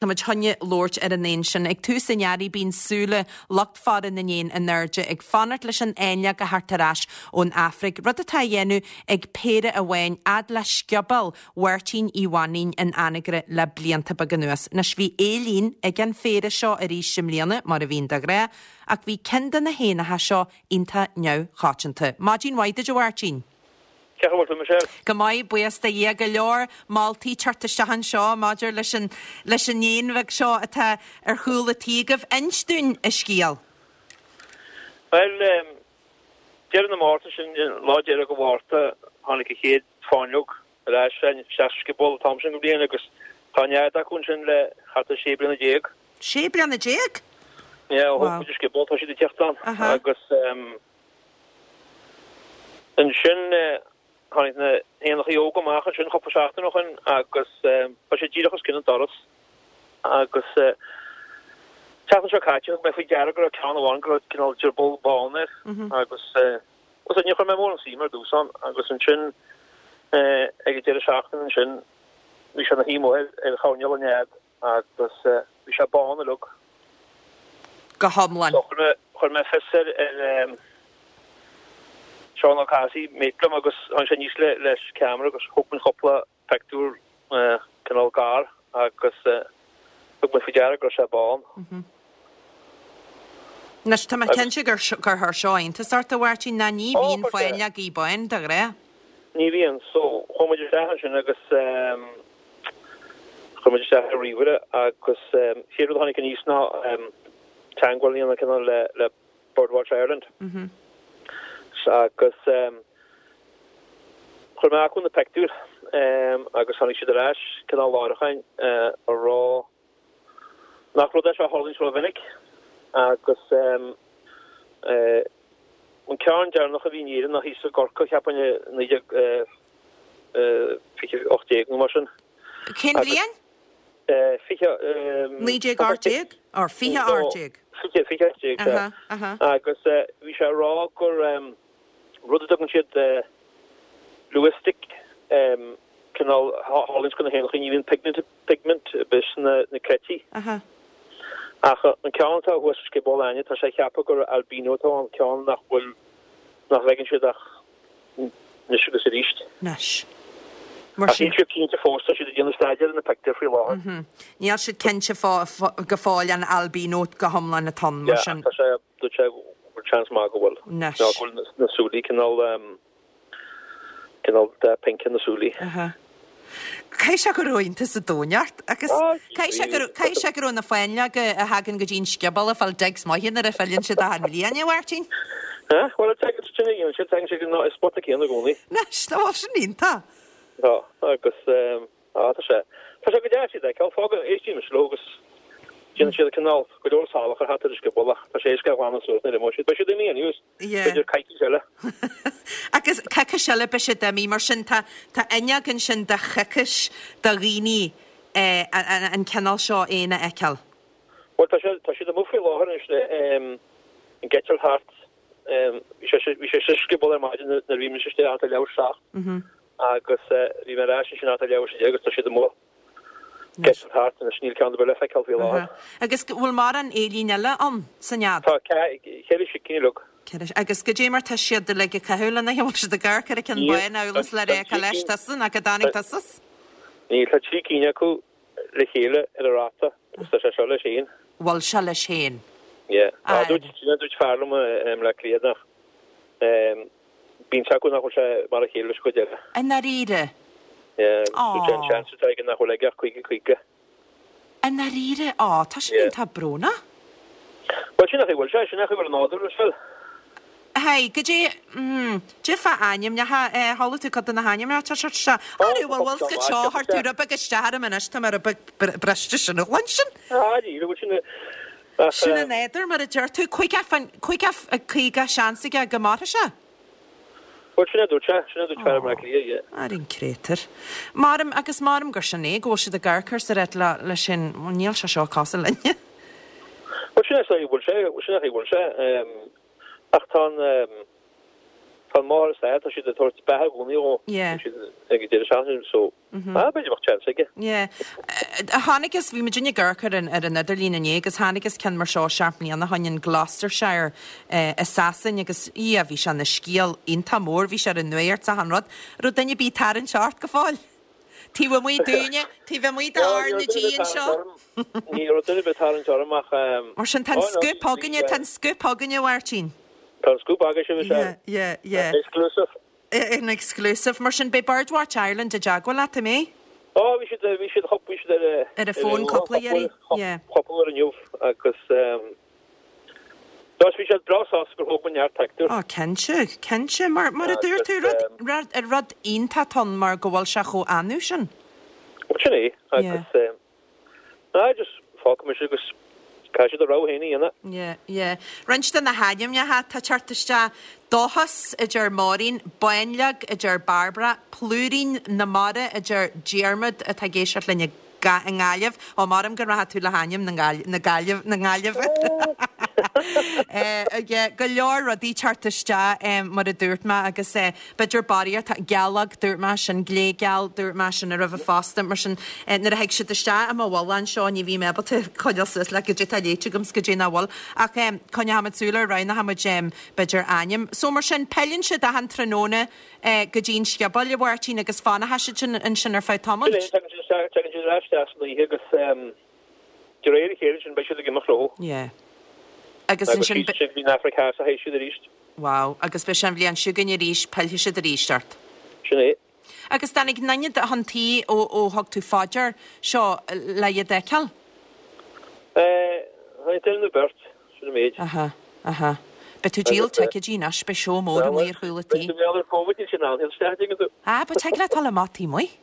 Tá muid chun labhairt ar an éan sin. Ag tús an earraigh bíonn súile lucht faire na n-éan in airde ag fanacht leis an fháinleog a theacht ar ais ón Afraic, rud atá á dhéanamh ag péire amháin fhad le scioból Mháirtín Uí Mhainín in Anagaire le blianta beaga anuas. Anois bhí éillín ag an phéire seo arís i mbliana, mar a bhíonn de ghnáth, ach bhí ceann de na héanacha seo iontach neamhchoitianta. Maidin mhaith duit a Mháirtín! Cén chaoi a bhfuil tú, Michelle? Go maith, buíochas do Dhia. Go leor moltaí teacht isteach anseo maidir leis an leis an éan bheag seo atá ar chúl a' tí agaibh. Inis dúinn an scéal. Bhuel, deireadh na Márta sin, lá deireadh de Mhárta, tháinig an chéad fáinleog ar ais isteach sa scioból an t-am sin den bhliain agus tá nead acu ansin le thart ar sé bliana déag. Sé bliana déag? Yeah, ó thóg muid an scioból tá siad ag teacht ann agus. Ansin tháinig na héanachaí óga amach ansin cúpla seachtain ó shin agus tá siad díreach os cionn an doras agus seachtain seo caite thug mé faoi deara go raibh ceann amháin go raibh cineál drioball bán air agus agus níor chuir mé mórán suim ar dtús ann agus ansin ag an deireadh seachtaine ansin bhí sé ina shuí amuigh ar choirnéal an nead agus bhí sé bán uilig. Go hiomlán. So chuir mé, chuir mé fios ar, ar Seán Ó Cathasaigh, mate liom, agus tháinig sé aníos le, leis ceamara agus thóg muid cúpla pictiúr cineál gar agus thug mé faoi deara go raibh sé bán. Anois, tá mé cinnte gur, gur chuir seo iontas ort, a Mháirtín, ná ní bhíonn fáinleogaí bán de ghnáth. Ní bhíonn. So, chuaigh muid isteach ansin agus. Chuir muid isteach ar ríomhaire agus chéad rud a tháinig aníos ná teagmháil a dhéanamh cineál le le Birdwatch Ireland. Agus chuir mé chucu na pictiúir agus tháinig siad ar ais cineál láithreach ag rá nach rud é seo a tharlaíonn rómhinic agus an ceann deireanach a bhí in Éirinn ná thíos i gCorcaigh cheapfainn i 1918 nó mar sin. Cén bhliain? 20. 1918? Or 2018? 2018, sea. Agus bhí sé ag rá gur rud a dtugann siad leucistic, cineál, a tharlaíonns do na héanachaí, ní bhíonn pigment ar bith sna creití. Ach an ceann atá thuas sa scioból againne, tá sé ag ceapadh gur albino atá ann, ceann nach bhfuil, nach bhfeiceann siad ach anois agus arís. Anois. Mar sin. Ach níl siad cinnte fós, tá siad ag déanamh staidéir ar na pictiúir faoi láthair. Níl siad cinnte go fóill an albino go hiomlán atá ann, mar sin. Yeah, tá sé, dúirt sé go bhfuil seans maith go bhfuil. Anois. Nó go bhfuil na súilí cineál, cineál dath pinc ar na súilí. Caithfidh sé go raibh iontas an domhain ort agus caithfidh sé go raibh, caithfidh sé go raibh na fáinleoga a thagann go dtí an scioból ag fáil digs maithe nuair a fhilleann siad achan bhliain, a Mháirtín? Ah, bhuel, tagann siad sin a dhéanann siad, tagann siad go an spota céanna i gcónaí. Anois, tá bhuel sin iontach. Tá, agus, ah, tá sé, tá sé go deas iad a fheiceáil, fágann, éistíonn mise leo agus déanann siad cineál go leor salachar thart ar an scioból ach tá sé éasca a ghlanadh suas nuair a imeoidh siad. Beidh siad imithe anyways. B'fhéidir coicís eile. Agus coicís eile beidh siad imithe. Mar sin tá tá fhuinneog ansin de choicís do dhaoine an cineál seo éin a fheiceáil. Bhuel tá sé tá siad amuigh faoi láthair anois le ag eitilt thart. Bhí sé bhí sé sa scioból ar maidin nuair a bhí mise istigh thart ar leathuair tar éis 7 agus bhí mé ar ais ansin thart ar leathuair tar éis 10 agus tá siad amuigh. Ag eitilt thart anois, níl ceann ar bith le feiceáil faoi láthair. Agus bhfuil mórán éillín eile ann sa nead? Tá ceithre sicín uilig. Ceithre, agus goidé mar tá siad uilig ag caitheamh lena chéile, bhfuil siad ag amharc ar an ceann bán amhail is le rá cá leis tusa nó cá dtáinig tusa? Níl, tá trí cinn acu le chéile ar an rata agus tá sé seo leis féin. Bhfuil sé leis féin? Yeah. Dúirt, dúirt fear liom i mBleá Cliath nach Bíonn a fhios acu nach bhfuil sé mar a chéile leis an gcuid eile. I ndáiríre? Yeah, dúirt sé an seans atá aige nach bhfuil aige ach 50 50. I ndáiríre? Á, tá sin iontach brónach. Bhuel, sin an chaoi a bhfuil sé, sin an chaoi a bhfuil an nádúr, is bhfuil. Hey, goidé, mm, goidé fá ainmneacha, eh, chuala tú cuid de na hainmneacha atá seo? Arú, bhfuil bhfuil scoit seo, chuir tú rud beag isteach orm anois, tá mé rud beag briste sin a chluinstin. Ah, ní bhfuil sin, Sin an nádúr, mar a deir tú. 50, 50 seans aige go mairfidh sé. Bhuel, sin é a dúirt sé. Sin é a dúirt fear i mBleá Cliath, yeah. Ar an créatúr. Maram, agus maram gur sin é, go bhfuil siad ag amharc air sa reit le, leis sin, bhuel, níl sé seo cosúil linne. Bhuel, sin é a bhfuil sé, sin é a bhfuil sé. Ach tá an. Tá an máthair is athair, tá siad ag tabhairt beatha i gcónaí dhó. Yeah. Tá siad ag an deireadh seachtaine so ah b'fhéidir bheadh chance aige. Yeah. Chonaiceas, bhí muidinne ag amharc ar an ar an idirlíon inné agus chonaiceas ceann mar seo seacht mbliana ó shin in Gloucestershire i Sasain agus yeah bhí sé ina scéal iontach mór, bhí sé ar an nuacht 's achan rud. Raibh duine ar bith ag tarraingt ort go fóill? Taobh amuigh dúinne, taobh amuigh de R na G anseo. Ní raibh duine ar bith ag tarraingt orm ach. Mar sin tá an scoop againne, tá an scoop againne, a Mháirtín. Tá an scoop agaibhse, is ea. Yeah, yeah, yeah. Exclusive. An exclusive. Mar sin beidh Birdwatch Ireland i dteagmháil leat, an mbeidh? Ó, bhí siad, bhí siad, bhí siad ar a. Ar an bhfón cúpla iarraidh, yeah. Cúpla uair inniu agus Dos, bhí siad breá sásta gur thóg mé neart pictiúr. Ó, cinnte, cinnte. Mar, mar a dúirt tú, rud, rud, rud iontach atá ann mar go bhfuil sé chomh annamh sin. Bhuel, sin é, agus eh, ná, just fágfaidh mise agus caithfidh siad a rogha féin a dhéanamh. Yeah, yeah. Roinnt de na hainmneacha atá ag teacht isteach, Dóchas, a deir Máirín, Báinleog, a deir Barbara, Plúirín na Mara, a deir Diarmaid atá ag éisteacht linn i. i nGaillimh. Ó, maram go rachaidh tú le hainm na Gaillimhe, na Gaillimhe. Go leor rudaí teacht isteach mar a dúirt mé agus b'fhéidir barraíocht, gealóg dúirt mé sin, gléigeal dúirt mé sin roimhe fosta mar sin nuair a thig siad isteach i mo bhuille anseo ní bhím ábalta coinneáil suas le goidé atá léite agam 's goidé nach bhfuil ach coinneochaimid súil ar roghnóchaimid b'fhéidir ainm. So mar sin pilleann siad achan tráthnóna go dtí an scioból, a Mháirtín, agus fanfaidh siad sin ansin ar feadh tamaill. Sin é, tagann siad isteach, tagann siad ar ais isteach san oíche agus de réir a chéile ansin beidh siad ag imeacht leo. Yeah. Agus ansin. Agus síos go dtí an Afraic Theas a théid siad arís. Wow. Agus beidh sé an bhliain seo chugainn arís, pillfidh siad arís ort. Sin é. Agus dtáinig aon duine chun tí ó ó thug tú fá dear seo le iad a fheiceáil? Eh, tháinig duine nó beirt. Sin an méid. Aha, aha. Beidh tú ag díol ticéidí anois, beidh seó mór amuigh ar chúl an tí. Beidh tú ar Covid, níl sé in ann isteach, an dtuigeann tú. Ah, but tig leat dul amach taobh amuigh.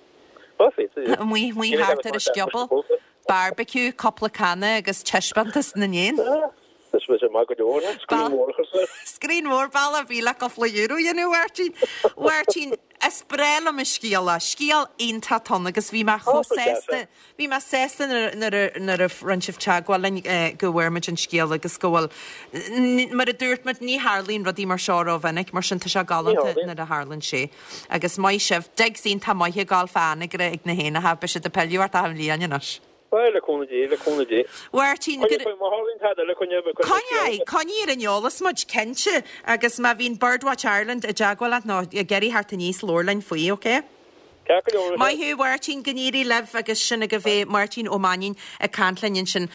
Ó, féadfaidh, yeah. Amuigh, amuigh thart ar an scioból. Barbecue, cúpla canna agus taispeántas na n-éan. Ah, tá sé maith go leor, eh? Screen mhór a chur suas. Screen mhór, bealach ar bith le cúpla euro a dhéanamh, a Mháirtín. Mháirtín, is breá liom an scéal, scéal iontach atá ann agus bhí mé chomh sásta, Bhí mé sásta nuair a rinne sibh teagmháil linn go bhfuair muid an scéal agus go bhfuil, mar a dúirt muid, ní tharlaíonn rudaí mar seo rómhinic, mar sin tá sé galánta nuair a tharlaíonn sé. Agus maith sibh, digs iontach maith ag gabháil fá Anagaire ag na héanacha, beidh siad ag pilleadh ort achan bhliain anois. Bhuel, le cúnamh Dé, le cúnamh Dé. Mháirtín, go. Coinnigh, má tharlaíonn tada eile, coinnigh, coinnigh, coinnigh ar an eolas muid, cinnte, agus má bhíonn Birdwatch Ireland i dteagmháil leat nó ag iarraidh theacht aníos, labhair linn faoi, ok? Ceart go leor. Maith thú, Mháirtín, go n-éirí libh agus sin agaibh é, Máirtín Ó Mainnín ag caint linn ansin.